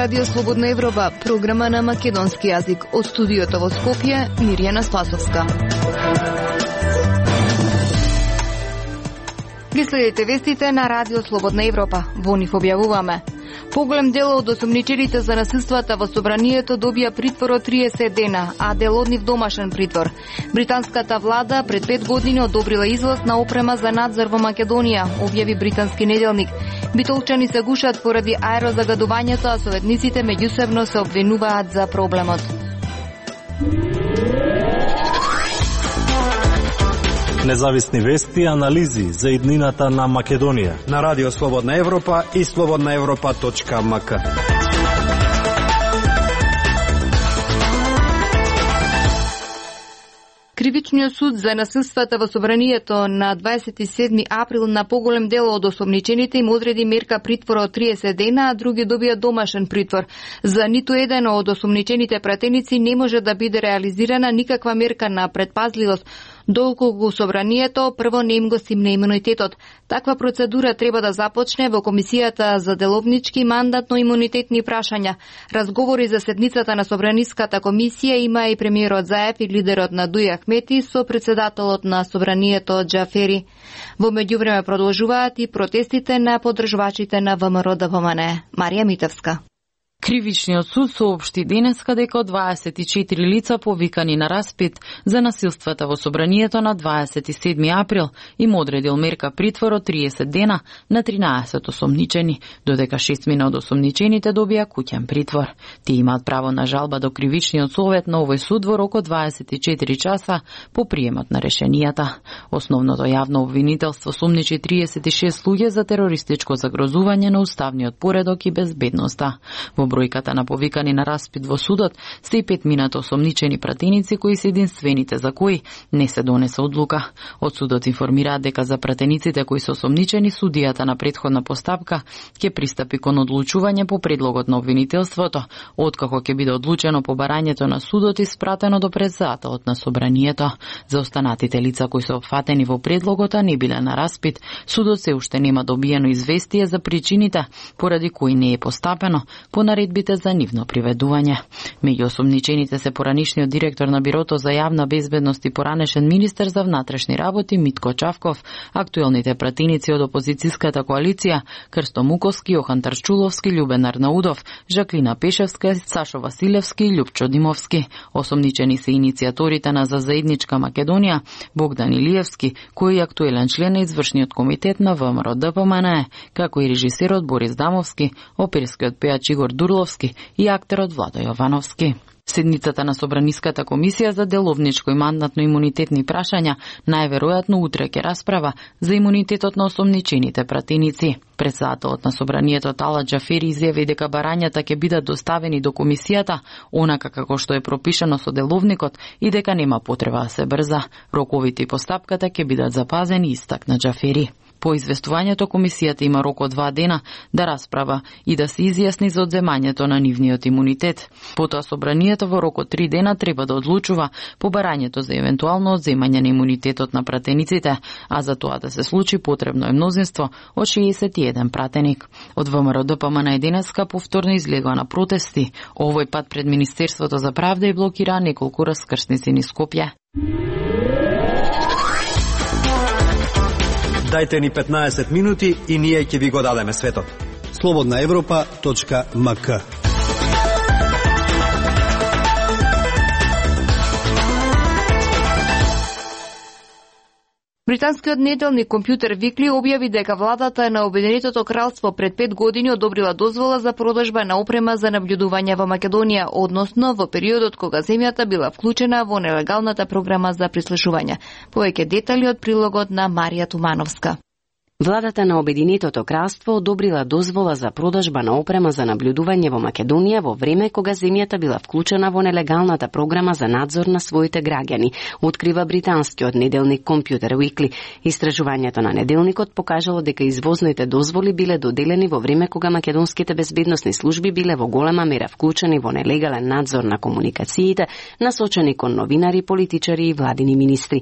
Радио Слободна Европа, програма на македонски јазик. Од студиото во Скопје, Мирјана Спасовска. Ги следите вестите на Радио Слободна Европа. Во нив објавуваме: поголем дел од осумничените за насилствата во собранието добија притвор од 30 дена, а дел од нив домашен притвор. Британската влада пред 5 години одобрила излаз на опрема за надзор во Македонија, објави британски неделник. Битолчани се гушат поради аерозагадувањето, а советниците меѓусебно се обвинуваат за проблемот. Независни вести и анализи за иднината на Македонија на Радио Слободна Европа и slobodnaevropa.mk. Кривичниот суд за насилствата во собранието на 27 април на поголем дел од осомничените им одреди мерка притвор од 30 дена, а други добија домашен притвор. За ниту еден од осомничените пратеници не може да биде реализирана никаква мерка на предпазливост, доколку собранието прво не им го стимне имунитетот. Таква процедура треба да започне во Комисијата за деловнички мандатно-имунитетни прашања. Разговори за седницата на Собраниската комисија има и премиерот Заев и лидерот на Дуј Ахмети со председателот на собранието Џафери. Во меѓувреме продолжуваат и протестите на поддржувачите на ВМРО-ДПМНЕ. Марија Митевска. Кривичниот суд соопшти денеска дека 24 лица повикани на распит за насилствата во собранието на 27 април им одредил мерка притвор од 30 дена на 13 осомничени, додека 6 од осомничените добија куќен притвор. Тие имаат право на жалба до Кривичниот совет на овој суд во рок од 24 часа по приемот на решенијата. Основното јавно обвинителство сумничи 36 луѓе за терористичко загрозување на уставниот поредок и безбедноста. Во бројката на повикани на распит во судот се и 5 осомничени пратеници кои се единствените за кои не се донесе одлука. Од судот информираат дека за пратениците кои се осомничени судијата на претходна постапка ќе пристапи кон одлучување по предлогот на обвинителството, откако ќе биде одлучено побарањето на судот и спратено до председателот на собранието. За останатите лица кои се опфатени во предлогот а не биле на распит, судот се уште нема добиено известие за причините поради кои не е постапено по наредбите за нивно приведување. Меѓу осомничените се поранишниот директор на Бирото за јавна безбедност и поранешен министер за внатрешни работи Митко Чавков, актуелните пратеници од опозицијската коалиција Крсто Муковски, Јохан Тарчуловски, Љубен Арнаудов, Жаклина Пешевска, Сашо Василевски и Љупчо Димовски. Осомничени се иницијаторите на За заедничка Македонија, Богдан Илиевски, кој е актуелен член на извршниот комитет на ВМРО-ДПМНЕ, како и режисерот Борис Дамовски, оперскиот пејач Игор Дурловски и актерот Владо Јовановски. Седницата на Собраниската комисија за деловничко и мандатно-имунитетни прашања најверојатно утре ќе расправа за имунитетот на осомничените пратеници. Председателот на собранието Тала Џафери изјави дека барањата ќе бидат доставени до комисијата онака како што е пропишано со деловникот и дека нема потреба да се брза. Роковите и постапката ќе бидат запазени, истакна Џафери. По известувањето, комисијата има рок од 2 дена да расправа и да се изјасни за одземањето на нивниот имунитет. Потоа собранието во рок од 3 дена треба да одлучува по барањето за евентуално одземање на имунитетот на пратениците, а за тоа да се случи потребно е мнозинство од 61 пратеник. Од ВМРО-ДПМНЕ денеска повторно излегува на протести, овој пат пред Министерството за правда и блокира неколку раскрсници низ Скопје. Дајте ни 15 минути и ние ќе ви го дадеме светот. slobodnaevropa.mk. Британскиот неделник Компјутер Викли објави дека владата на Обединетото кралство пред 5 години одобрила дозвола за продажба на опрема за наблюдување во Македонија, односно во периодот кога земјата била вклучена во нелегалната програма за прислушување. Повеќе детали од прилогот на Марија Тумановска. Владата на Обединетото кралство одобрила дозвола за продажба на опрема за наблюдување во Македонија во време кога земјата била вклучена во нелегалната програма за надзор на своите граѓани, открива британскиот неделник Компјутер Викли. Истражувањето на неделникот покажало дека извозните дозволи биле доделени во време кога македонските безбедносни служби биле во голема мера вклучени во нелегален надзор на комуникациите, насочени кон новинари, политичари и владини министри.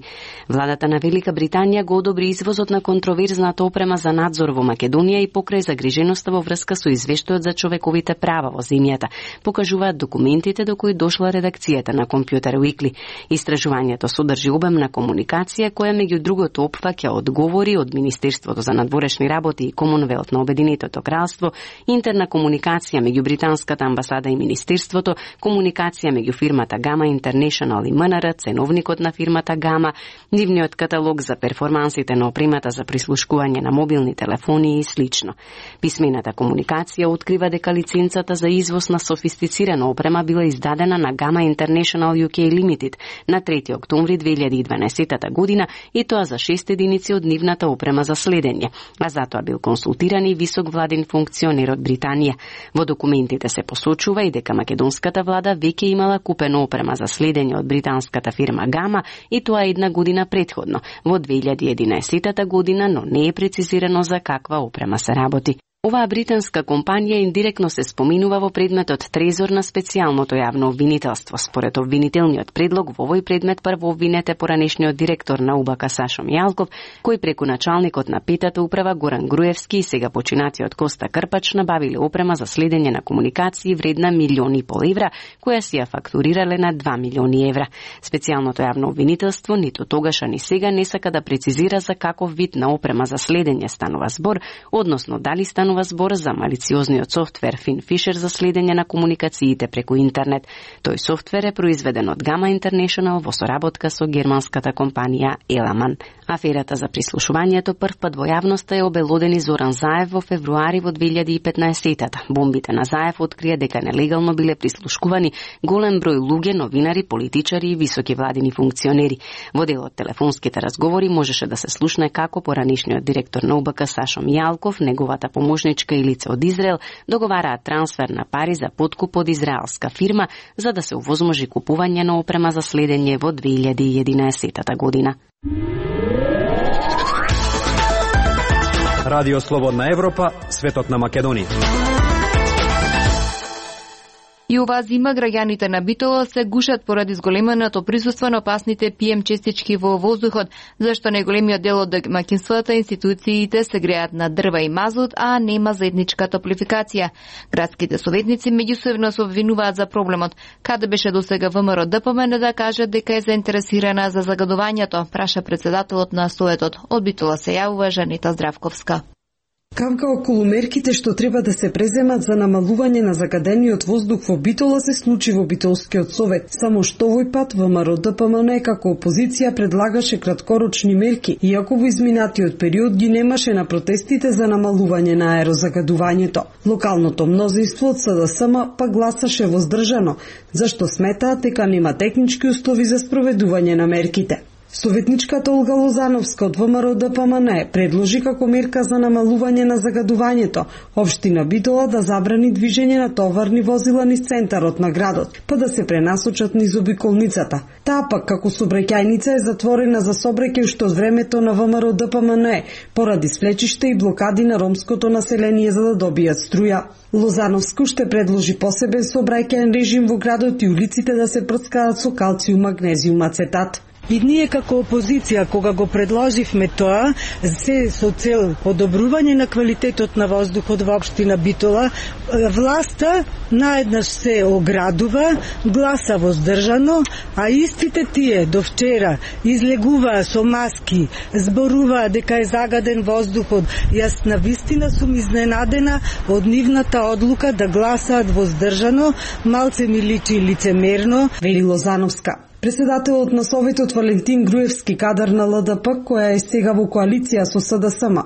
Владата на Велика Британија го одобри извозот на контроверзната необходната опрема за надзор во Македонија и покрај загриженоста во врска со извештајот за човековите права во земјата, покажуваат документите до кои дошла редакцијата на Computer Weekly. Истражувањето содржи обемна комуникација која меѓу другото опфаќа одговори од Министерството за надворешни работи и Комонвелт на Обединетото кралство, интерна комуникација меѓу британската амбасада и Министерството, комуникација меѓу фирмата Gama International и МНР, ценовникот на фирмата Gama, нивниот каталог за перформансите на опремата за прислушкување на мобилни телефони и слично. Писмената комуникација открива дека лиценцата за извоз на софистицирана опрема била издадена на Gama International UK Limited на 3 октомври 2012 година и тоа за 6 единици од нивната опрема за следење, а затоа бил консултиран и висок владин функционер од Британија. Во документите се посочува и дека македонската влада веќе имала купено опрема за следење од британската фирма Gama и тоа една година претходно, во 2011 година, но не е прецизирано за каква опрема се работи. Оваа британска компанија индиректно се споминува во предметот Трезор на специјалното јавно обвинителство. Според обвинителниот предлог, во овој предмет прво обвинет е поранешниот директор на УБК Сашо Мијалков, кој преку началникот на петата управа Горан Груевски и сега починатиот Коста Крпач набавиле опрема за следење на комуникации вредна 1,5 милиони евра, која си ја фактурирале на 2 милиони евра. Специјалното јавно обвинителство ниту тогаш ни сега не сака да прецизира за каков вид на опрема за следење станува збор, односно дали станува збор за малициозниот софтвер FinFisher за следење на комуникациите преку интернет. Тој софтвер е произведен од Gama International во соработка со германската компанија Elamon. Аферата за прислушувањето првпат во јавноста е обелодени Зоран Заев во февруари во 2015-та. Бомбите на Заев открија дека нелегално биле прислушкувани голем број луѓе, новинари, политичари и високи владини функционери. Во дел од телефонските разговори можеше да се слушне како поранешниот директор на УБК Сашо Мијалков, неговата помошничка и лице од Израел договараат трансфер на пари за подкуп од израелска фирма за да се овозможи купување на опрема за следење во 2011 година. Радио Слободна Европа, светот на Македонија. И оваа зима граѓаните на Битола се гушат поради зголеменото присуство на опасните PM честички во воздухот, зашто најголемиот дел од домаќинствата и институциите се греат на дрва и мазут, а нема заедничка топлификација. Градските советници меѓусебно се обвинуваат за проблемот. Каде беше досега ВМРО ДПМН да кажат дека е заинтересирана за загадувањето, праша председателот на Советот. Од Битола се јавува Жанета Здравковска. Камка околу мерките што треба да се преземат за намалување на загадениот воздух во Битола се случи во Битолскиот совет. Само што овој пат ВМРО ДПМН како опозиција предлагаше краткорочни мерки, иако во изминатиот период ги немаше на протестите за намалување на аерозагадувањето. Локалното мнозинство од СДСМ па гласаше воздржано, зашто сметаат дека нема технички услови за спроведување на мерките. Советничката Олга Лозановска од ВМРО ДПМН предложи како мерка за намалување на загадувањето општина Битола да забрани движење на товарни возила низ центарот на градот, па да се пренасочат низ обиколницата. Таа пак како сообраќајница е затворена за сообраќај уште од времето на ВМРО ДПМН поради свлечишта и блокади на ромското население за да добијат струја. Лозановска уште предложи посебен сообраќајен режим во градот и улиците да се прскаат со калциум, магнезиум, ацетат. И ние како опозиција, кога го предложивме тоа, се со цел подобрување на квалитетот на воздухот во општина Битола, власта наеднаш се оградува, гласа воздржано, а истите тие до вчера излегуваа со маски, зборуваа дека е загаден воздухот. Јас навистина сум изненадена од нивната одлука да гласаат воздржано, малце ми личи лицемерно, вели Лозановска. Председателот на Советот Валентин Груевски, кадар на ЛДП, која е сега во коалиција со СДСМ,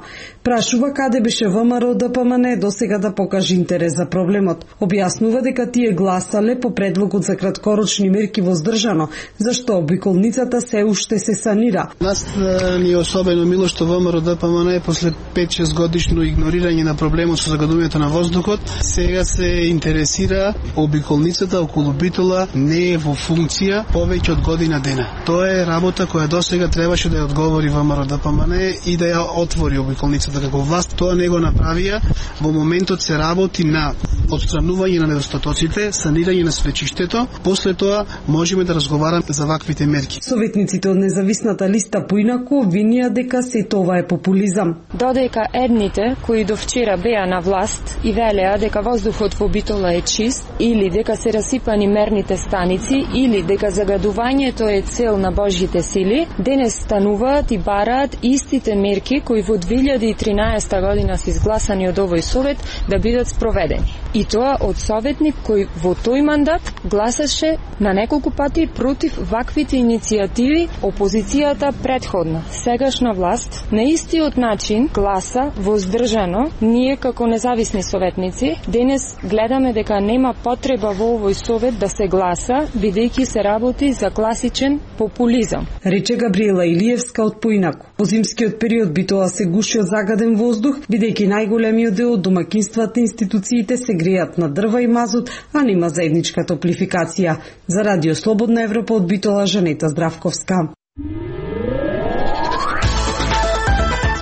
прашува каде беше ВМРО ДПМН досега да покаже интерес за проблемот. Објаснува дека тие гласале по предлогот за краткорочни мерки воздржано, зашто обиколницата се уште се санира. Нас ни е особено мило што ВМРО ДПМН после 5-6 годишно игнорирање на проблемот со загадувањето на воздухот, сега се интересира обиколницата околу Битола не е во функција, повеќе повеќе од година дена. Тоа е работа која досега требаше да ја одговори ВМРО-ДПМН и да ја отвори обиколницата како власт. Тоа не го направија. Во моментот се работи на отстранување на недостатоците, санирање на свлечиштето. После тоа можеме да разговараме за ваквите мерки. Советниците од независната листа поинаку обвинија дека се тоа е популизам. Додека едните кои до вчера беа на власт и велеа дека воздухот во Битола е чист, или дека се расипани мерните станици, или дека загадувањето е цел на Божјите сили, денес стануваат и бараат истите мерки кои во 2013 година се изгласани од овој совет да бидат спроведени. И тоа од советник кој во тој мандат гласаше на неколку пати против ваквите иницијативи опозицијата предходно. Сегашна власт на истиот начин гласа воздржано. Ние како независни советници денес гледаме дека нема потреба во овој совет да се гласа, бидејќи се работи за класичен популизам. Рече Габриела Илиевска од поинаку. Во зимскиот период Битола се гуши од загаден воздух, бидејќи најголемиот дел од домаќинствата и институциите се греат на дрва и мазут, а нема заедничка топлификација. За Радио Слободна Европа од Битола, Жанета Здравковска.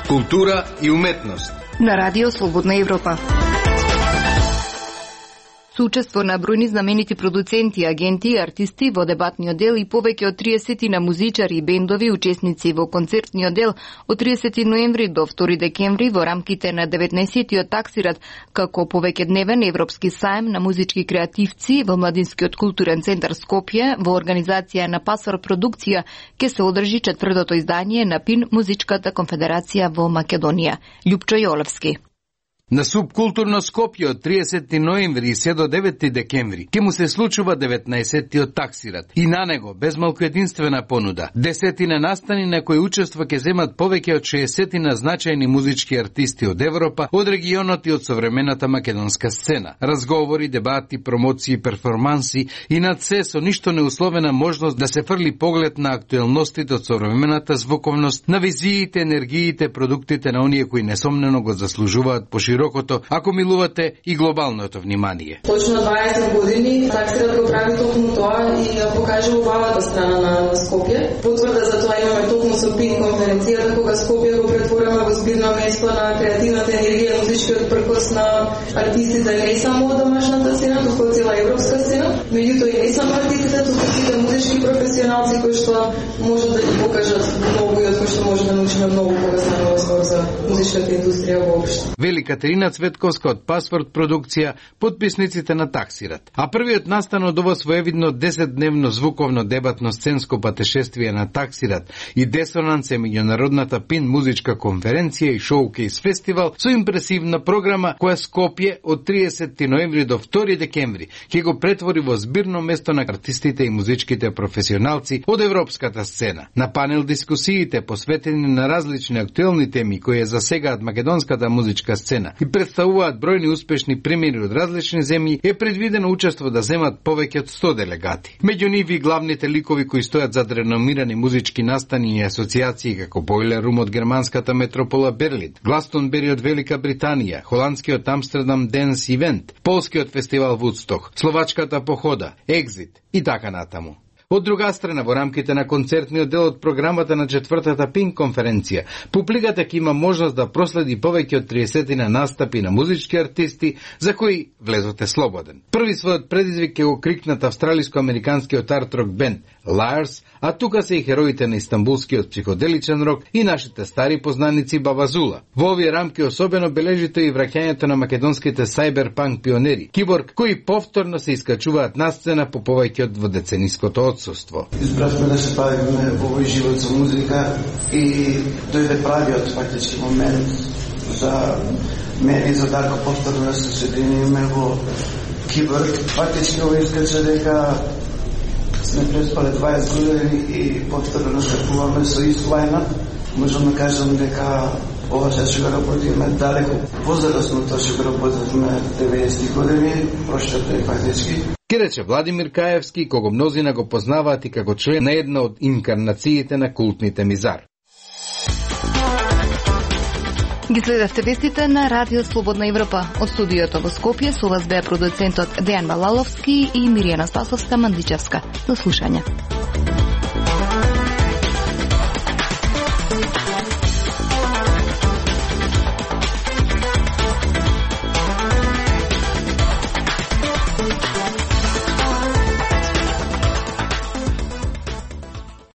Култура и уметност на Радио Слободна Европа. Со учество на бројни знаменити продуценти, агенти и артисти во дебатниот дел и повеќе од 30 на музичари и бендови учесници во концертниот дел од 30 ноември до 2 декември во рамките на 19-тиот таксират како повеќедневен европски саем на музички креативци во Младинскиот културен центар Скопје во организација на Пасвар продукција ќе се одржи 4-то издание на ПИН Музичката конфедерација во Македонија. Љупчо Јолевски. На Субкултурно Скопје од 30 ноември и се до 9 декември ќе му се случува 19-тиот таксират и на него безмалку единствена понуда. 10 настани на кои учество ќе земат повеќе од 60 значајни музички артисти од Европа, од регионот и од современата македонска сцена. Разговори, дебати, промоции, перформанси и над се со ништо неусловена можност да се фрли поглед на актуелностите од современата звуковност, на визиите, енергиите, продуктите на оние кои несомнено го заслужуваат широкото, ако милувате, и глобалното внимание. Точно 20 години таксират го прави токму тоа и ја покажа убавата страна на Скопје. Потврда за тоа имаме токму со ПИН конференцијата, кога Скопје го претворено во збирно место на креативната енергија, музичкиот пркос на артистите не само од домашната сцена, туку од цела европска сцена, меѓутоа и не само артистите, туку сите музички професионалци кои што можат да ги покажат многу и од кои што може да научиме многу кога станува збор за музичката индустрија воопшто. Катерина Цветковска од Пасворд продукција, подписниците на таксират. А првиот настан од ова своевидно 10-дневно звуковно дебатно сценско патешествие на таксират и десонанс е меѓународната ПИН музичка конференција и шоукейс фестивал со импресивна програма која Скопје од 30 ноември до 2 декември ќе го претвори во збирно место на артистите и музичките професионалци од европската сцена. На панел дискусиите посветени на различни актуелни теми кои засегаат македонската музичка сцена и представуваат бројни успешни примери од различни земји, е предвидено учество да земат повеќе од 100 делегати. Меѓу нив и главните ликови кои стојат зад реномирани музички настани и асоциации како Бойлер Рум од германската метропола Берлин, Гластонбери од Велика Британија, холандскиот Амстердам Денс Ивент, полскиот фестивал Вудсток, словачката Похода, Екзит и така натаму. Од друга страна, во рамките на концертниот дел од програмата на 4-та ПИН конференција, публиката ќе има можност да проследи повеќе од 30 настапи на музички артисти за кои влезот е слободен. Први својот предизвик ќе го крикнат австралиско-американскиот арт-рок бенд Liars, а тука се и хероите на истанбулскиот психоделичен рок и нашите стари познаници Бабазула. Во овие рамки особено бележите и враќањето на македонските сайберпанк пионери, Киборг, кои повторно се искачуваат на сцена по повеќе од дводецениското одсуство. Избравме да се бавиме во овој живот за музика и дојде правиот фактички момент за мене и за Дарко повторно да се соединиме во Киборг. Фактички овој искача дека сме преспале 20 години и повторно настапуваме со ист лајнап. Можам да кажам дека ова ще го работиме далеко возрастно, тоа ще го работиме 90 години, прошлата и фактички. Ке рече Владимир Каевски, кого мнозина го познаваат и како член на една од инкарнациите на култните Мизар. Ги следевте вестите на Радио Слободна Европа. Од студиото во Скопје со вас беа продуцентот Дејан Балаловски и Миријана Спасовска-Мандичевска. До слушање.